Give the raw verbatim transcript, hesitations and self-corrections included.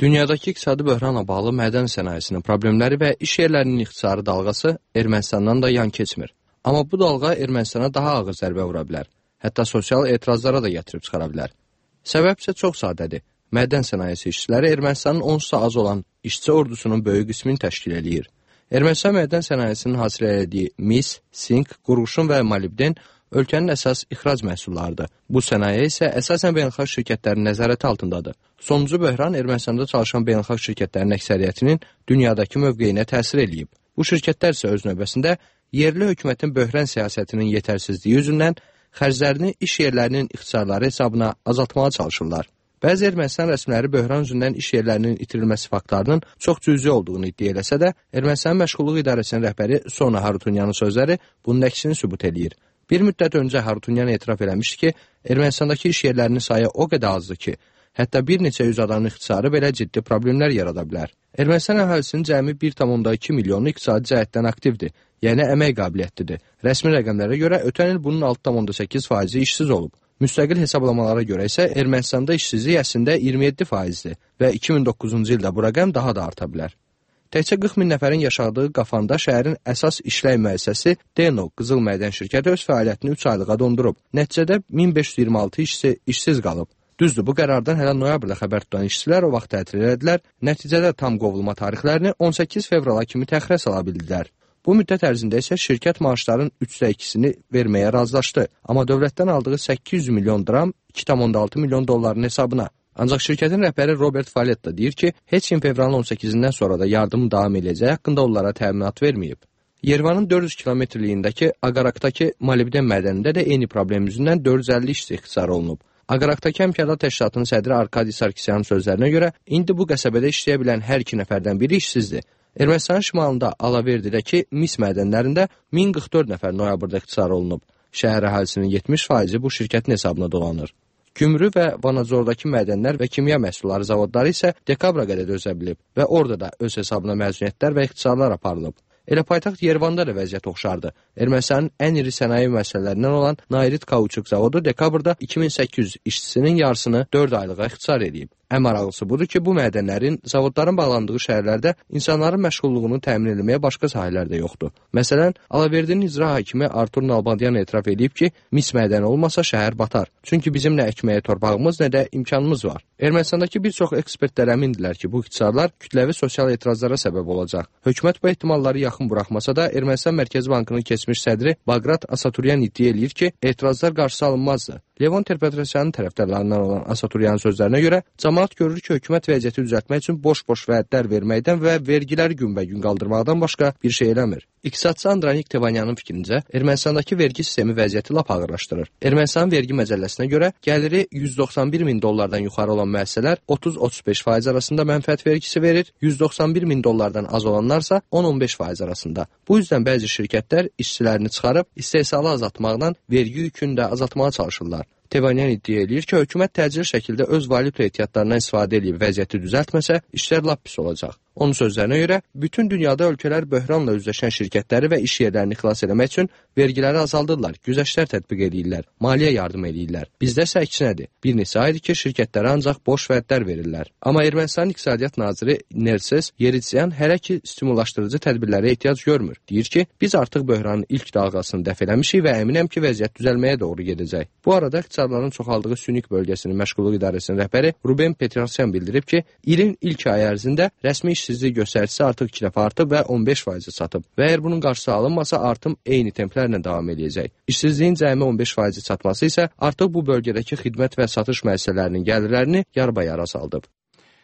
Dünyadakı iqtisadi böhranla bağlı mədən sənayesinin problemləri və iş yerlərinin ixtisarı dalğası Ermənistandan da yan keçmir. Amma bu dalğa Ermənistana daha ağır zərbə vura bilər. Hətta sosial etirazlara da gətirib çıxara bilər. Səbəb isə çox sadədir. Mədən sənayesi işçiləri Ermənistanın onsuz az olan işçi ordusunun böyük qismini təşkil edir. Ermənistan mədən sənayesinin hasil etdiyi mis, sink, qurğuşun və molibden ölkənin əsas ixrac məhsullarıdır. Bu sənaye isə əsasən beynəlxalq şirkətlərin nəzarəti altındadır. Sonuncu böhran Ermənistanda çalışan beynəlxalq şirkətlərin əksəriyyətinin dünyadakı mövqeyinə təsir eləyib. Bu şirkətlər isə öz növbəsində yerli hökumətin böhran siyasətinin yetərsizliyi üzündən xərclərini iş yerlərinin ixtisarları hesabına azaltmağa çalışırlar. Bəzi Ermənistan rəsmiləri böhran üzündən iş yerlərinin itirilməsi faktlarının çox cüzi olduğunu iddia eləsə də, Ermənistan Məşğulluq İdarəsinin rəhbəri Sona Harutunyanın sözləri bunun əksini sübut eləyir. Bir müddət öncə Harutunyan etiraf eləmişdi ki, Ermənistandakı iş yerlərinin sayı o qədər azdır ki, hətta bir neçə yüz adamın ixtisarı belə ciddi problemlər yarada bilər. Ermənistan əhalisinin cəmi bir tam iki milyonu iqtisadi cəhətdən aktivdir, yəni əmək qabiliyyətlidir. Rəsmi rəqəmlərə görə ötən il bunun altı tam səkkiz faizi işsiz olub. Müstəqil hesablamalara görə isə Ermənistanda işsizlik əslində iyirmi yeddi faizdir və iki min doqquzuncu ildə bu rəqəm daha da arta bilər. Təkcə qırx min nəfərin yaşadığı Qafanda şəhərin əsas işlək müəssisəsi Deno Qızıl Mədən şirkəti öz fəaliyyətini üç aylığa dondurub. Nəticədə min beş yüz iyirmi altı işçi işsiz qalıb. Düzdür, bu qərardan hələ noyabrda xəbər tutan işçilər o vaxt tətil elədilər. Nəticədə tam qovulma tarixlərini on səkkiz fevrala kimi təxirə sala bildilər. Bu müddət ərzində isə şirkət maaşların üçdə ikisini verməyə razılaşdı. Amma dövlətdən aldığı səkkiz yüz milyon dram iki tam altı milyon dolların hesabına. Ancaq şirkətin rəhbəri Robert Faletta deyir ki, heç kim fevralın on səkkizindən sonra da yardımı davam edəcəyi haqqında onlara təminat verməyib. Yerevanın dörd yüz kilometrliyindəki Aqarakdakı molibden mədənində də eyni problem yüzündən dörd yüz əlli işçi ixtisar olunub. Aqarakdakı Həmkarlar Təşkilatının sədri Arkadi Sarkisyanın sözlərinə görə, indi bu qəsəbədə işləyə bilən hər iki nəfərdən biri işsizdir. Ermənistanın şimalında Alaverdidəki mis mədənlərində min qırx dörd nəfər noyabrda ixtisar olunub. Şəhər əhalisinin yetmiş faizi bu şirkətin hesabına dolanır. Gümrü və Vanadzordakı mədənlər və kimya məhsulları zavodları isə dekabra qədər dözə bilib və orada da öz hesabına məzuniyyətlər və ixtisarlar aparılıb. Elə paytaxt Yerevanda da vəziyyət oxşardı. Ermənistanın ən iri sənaye müəssisələrindən olan Nairit Kauçuk zavodu dekabrda iki min səkkiz yüz işçisinin yarısını dörd aylığa ixtisar edib. Ən maraqlısı budur ki, bu mədənlərin, zavodların bağlandığı şəhərlərdə insanların məşğulluğunu təmin etməyə başqa sahələr də yoxdur. Məsələn, Alaverdinin icra hakimi Artur Nalbandyan etiraf edib ki, mis mədəni olmasa şəhər batar. Çünki bizim nə əkməyə torpağımız, nə də imkanımız var. Ermənistandakı bir çox ekspertlər əmindilər ki, bu ixtisarlar kütləvi sosial etirazlara səbəb olacaq. Hökumət bu ehtimalları yaxın buraxmasa da, Ermənistan Mərkəzi Bankının keçmiş sədri Bagrat Asaturyan iddia eləyir ki, etirazlar qarşısı alınmazdı. Levon Terpetrosyanın tərəfdarlarından olan Asaturyanın sözlərinə görə, cəmaət görür ki, hökumət vəziyyəti düzəltmək üçün boş-boş vədlər verməkdən və vergiləri günbəgün qaldırmaqdan başqa bir şey eləmir. İqtisadçı Andranik Tevanyanın fikrincə, Ermənistandakı vergi sistemi vəziyyəti lap ağırlaşdırır. Ermənistanın vergi məcəlləsinə görə, gəliri yüz doxsan bir min dollardan yuxarı olan müəssisələr otuz otuz beş faiz arasında mənfəət vergisi verir, yüz doxsan bir min dollardan az olanlarsa on on beş faiz arasında. Bu yüzdən bəzi şirkətlər işçilərini çıxarıb, istehsalı azaltmaqdan vergi yükünü də azaltmağa çalışırlar. Tevanyan iddia edir ki, hökumət təcili şəkildə öz valyuta ehtiyatlarından istifadə edib vəziyyəti düzəltməsə, işlər lap pis olacaq. Onun sözlərinə görə, bütün dünyada ölkələr böhranla üzləşən şirkətləri və iş yerlərini xilas etmək üçün vergiləri azaldırlar, güzəştlər tətbiq edirlər, maliyyə yardım edirlər. Bizdə isə əksinədir. Bir neçə aydır ki, şirkətlərə ancaq boş vədlər verirlər. Amma Ermənistanın İqtisadiyyat naziri Nerses Yeridyan hələ ki stimullaşdırıcı tədbirlərə ehtiyac görmür. Deyir ki, biz artıq böhranın ilk dalğasını dəf eləmişik və əminəm ki, vəziyyət düzəlməyə doğru gedəcək. Bu arada iqtisadların çoxaldığı Sünik bölgəsinin Məşğulluq İdarəsinin rəhbəri Ruben Petrosyan bildirib ki, ilin ilk ayı ərzində rəsmi işsizlik göstəricisi artıq iki dəfə artıb və on beş faizi çatıb. Və əgər bunun qarşısı alınmasa, artım eyni templərlə davam edəcək. İşsizliyin cəmi on beş faizi çatması isə artıq bu bölgədəki xidmət və satış müəssisələrinin gəlirlərini yarbayara saldıb.